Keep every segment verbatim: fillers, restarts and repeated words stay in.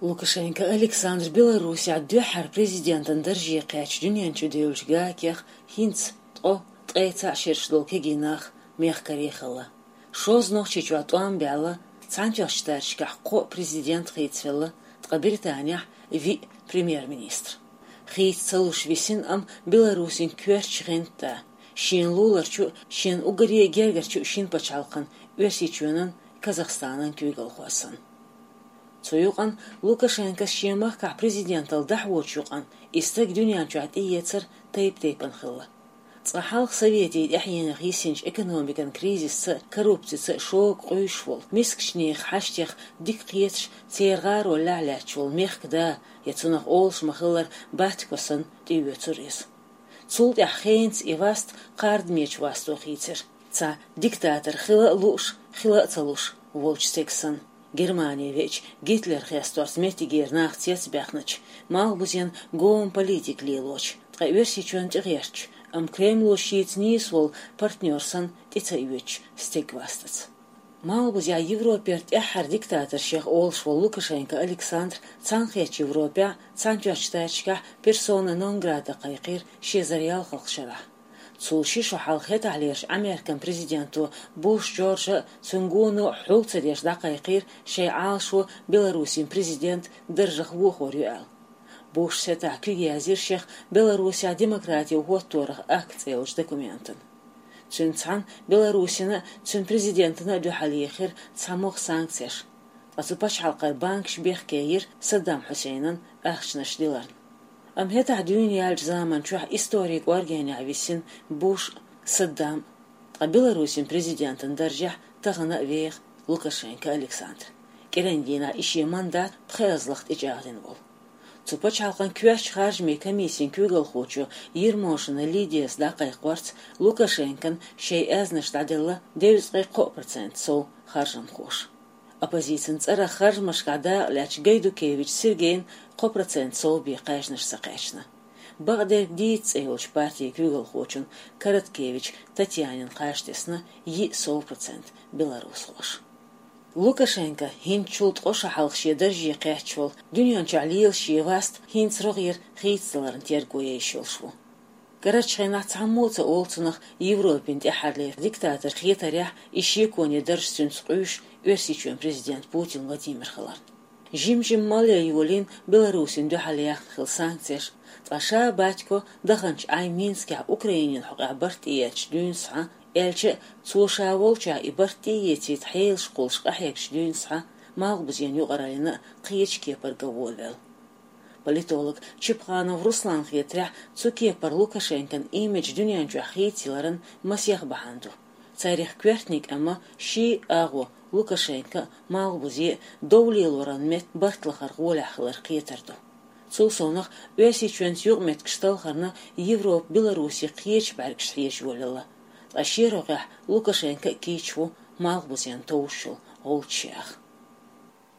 Лукашенко Александр Беларусехь дуьххьара президентан дарже кхаьчча дуьнен чу девллачу гакех хӀинца ткъо, ткъе цхьаъ шераш долу кегий нах мехкарий хилла. Шозза Нохчийчохь тӀом баьлла, Цхьаьнатоьхначу Штаташкахь кхоъ президент хийцавелла, ткъа Британехь виъ премьер-министр. Хийца ца луш висина, амма Беларусин коьртачу гӀанта, шена луларчу а, шена уггаре а гергарчу а шина пачхьалкхан, Оьрсийчоьнан, Казахстанан куьйгалхой санна. Цу юкъана Лукашенкос шен махкахь президенталла дӀахьочу юкъана и стаг дуьнен чохь тӀеэцар тайп-тайпана хилла. Цкъа хьалха Советийн тӀаьхьенах йисинчу экономикан кризисца а, коррупцица а шога къуьйсуш волу, мискачу нехан хьаштех дика кхеташ, церан гӀаролехь лаьтташ волу мехкан да, я цунах олуш ма-хиллара Батько санна, тӀеоьцура иза. Цул тӀаьхьа хенца и васт кхардамечу васто хийцира. Цхьа диктатор хила а лууш, хила а ца луш волчу стеган санна. Германе веача Гитлер хесторца меттигера нах цецбаьхначу, малхбузен гома политика лелочу, ткъа Оьрсийчоьнна тӀегӀертачу, амма Кремло шеца нийса волу партнер санна тӀе ца оьцучу стеган вастаца. Малхбузехь Европера тӀаьххьара диктаторшех олуш волу Лукашенко Александр Цхьаьнакхеттачу Европехь, Цхьаьнатоьхначу Штаташкахь персона нон грата кхайкхийра ши эзар ялхалгӀачу шарахь. Цул ши шо хьалха хӀетахьлерчу Американ президенто Буш Джорджа а, цуьнан гоно а хьул ца деш дӀакхайкхийра шайн Ӏалашо Беларусин президентан даржах вохор ю аьлла. Бушас хӀетахь куьг яздира шех Беларусехь демократия хӀотторах акт цӀе йолчу документана. Цуьнца цхьаьна Беларусина а, цуьнан президентана а дуьхьал ехира цхьа могӀа санкцеш, ткъа цу пачхьалкхара банкаш бехке йира Саддам Хьусейнан ахчанаш диларна. Амма хӀетахь дуьйна яьллачу заман чохь историн кӀоргенехь висина Буш а, Саддам а, ткъа Беларусин президентан даржехь тахана а веха Лукашенко Александр. КӀиран дийнахь и шен мандат пхоьазлах тӀечӀагӀдина волу. Цу пачхьалкхан коьртачу харжамийн комиссин куьйгалхочо Ермошина Лидияс дӀакхайкхорца, Лукашенкон шайн аьзнаш дӀаделла девза ткъе кхоъ процент сов харжамхоша. Оппозицин цӀарах харжамашкахь дакъа лаьцначу Гайдукевич Сергейна кхо процент сов бен кхаьжнаш ца кхаьчна. Бакъдерг дийца цӀе йолчу партин куьйгалхочун Короткевич Татьянин кхаж тесна йиъ сов процент беларусхоша. Лукашенко хӀинцачул ткъо шо хьалха шен дарже кхаьчча волу, дуьнен чохь лела шен васт хӀинца рогӀера хийцадаларна терго еш йолуш ву. Карарчу хенахь цхьаммо а ца олу цунах Европин тӀаьххьарлера диктатор хетарехь и шеконе дарж цуьнца къуьйсуш Оьрсийчоьнан президент Путин Владимир хиларна. Жим-жим малъян йолийна Беларусина дуьхьал яьхна хилла санкцеш, ткъа ша Батько даханчу Ӏай Минскехь Украинин хьокъехь барт тӀеэцначу дуьйна схьа, аьлча а, цо ша волчохь и барт тӀеэцийта хьелаш кхуллуш къахьегначу дуьйна схьа, малхбузен юкъараллина а кхечу кепара ган волавелла. Политолог Чепханов Русланна хетарехь, цу кепара Лукашенкон имидж дуьнен чохь хийцаяларан масех бахьана ду. Царех коьртаниг амма ший агӀо, Лукашенко а, малхбузе а дов лелоран метта барт лахар гӀолехь хилар кхетар ду. Цул совнах, Оьрсийчоьнца юкъаметтигаш талхарна Европа Беларуси кхечу бӀаьргашца хьежа йолаелла. Ткъа шен рогӀехь Лукашенко а кийча ву малхбузен товш йолу гӀулчаш яха.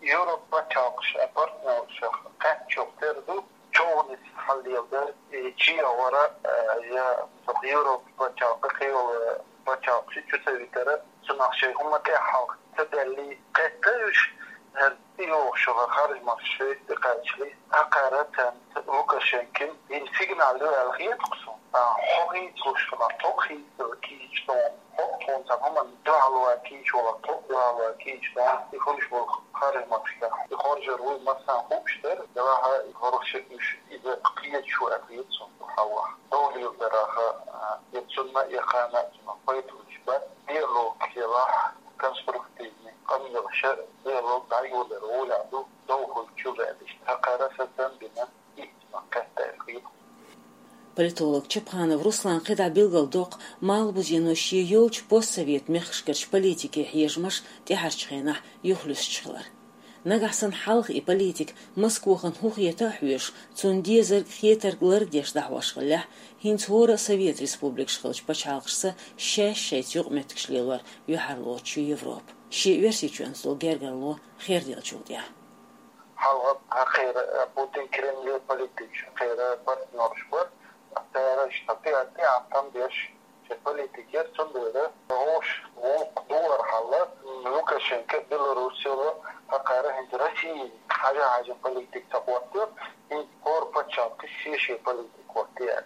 Европа пачхьалкхаш а, партнершах кхаьччух тера ду, човнис хьаллеладар, и чу а вара, э, я Европа пачхьалкх, кхийолу пачхьалкхаш чу ца витара, цунах шайн хӀума тӀехь хьалха ца даьллий, кхетта уьш, хӀара тӀейогӀуш йолу харжамаш шайца тӀекхачале, тӀакхара царна Лукашенкин йина сигнал ю аьлла хета-кх суна. А, хьо хийцалуш хилахь, тхо хийцадала кийча тхуна, хӀокху тхуна цхьа хӀуманна дуьхьал ван кийча валахь, тхо дуьхьал ван кийча тхуна, и хуьлуш болу харжамашкахь, и хоржур вуй массарна хууш дара, делахь а и хӀорш уьш иза кхеташ ву аьлла хета суна хьалха. Довлийла дараха, а, я цунна, я кхана а цунах пайда хуьлуш бац, диалог елахь, конструктивный къамелаш а, диалог дӀайолор гӀолехь ду, дов хуьлучул а иштта хьакхара сацам бина. Политолог Чепханов Руслан кхидӀа билгалдоккху малхбузено шен йолчу постсовет мехкашкарчу политике хьежамаш тӀаьхьарчу хенахь юхалуьстуш хилар. Нагахь санна хьалха и политика Москвахана хӀун хета а хьоьжуш, цунна дезарг, хетарг лардеш дӀахьош хиллехь, хӀинца хӀора а совет республикаш хиллачу пачхьалкхашца шаьш шайца юкъаметтигаш лелор юьхьарлоцуш ю Европа, шен Оьрсийчоьнца долу гергарло херделлачул тӀаьхьа. Хьалха хьакхера Путин Кремле политикаш, хьакхера партнерш бара, цара иштта тӀе-, тӀе а там беш, шайн политика яра, цундела гӀош гӀуллакх ду вара хьалла, Лукашенко Белоруссияло хьакхара хӀинца Россия Хьажа-хьажа политика ца хӀоттайо, и хӀора паччахьалкхе ше-ше политика хӀоттайо.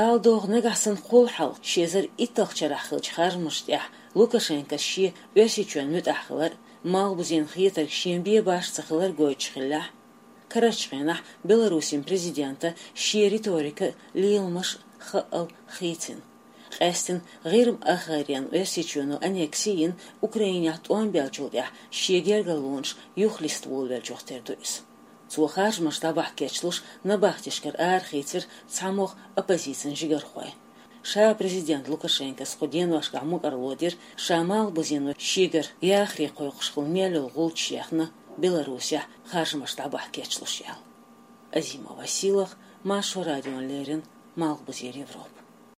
Ала догӀу, нагахь санна кхул хьалха, ши эзар итталгӀачу шарахь хиллачу харжамашна тӀехь Лукашенкос шен Оьрсийчоьнна муьтӀахь хилар а, Малхбузен хетарг шена бен башха ца хилар а гойтуш хиллехь, карарчу хенахь Беларусин президентан шен риторика леламаш а хаъал хийцина. Къаьсттина ГӀирма ахгӀайренна Оьрсийчоьно аннекси йина Украинехь тӀом баьллачул тӀаьхьа шен гергарлонаш юхалиста волавеллачух тера ду иза. Цо харжамаш дӀабахьа кечлуш набахтешкара арахийцира цхьамогӀа оппозицин жигархой. Ша президент Лукашенкос кху деношкахь мукӀарло дира, ша Малхбузено шегара яхаре кхойкхуш хилла мел йолу гӀулч ехна Беларусехь харжамаш дӀабахьа кечлуш аьлла. Азима Василах, Маршо радиона леррина, Малхбузера Европа.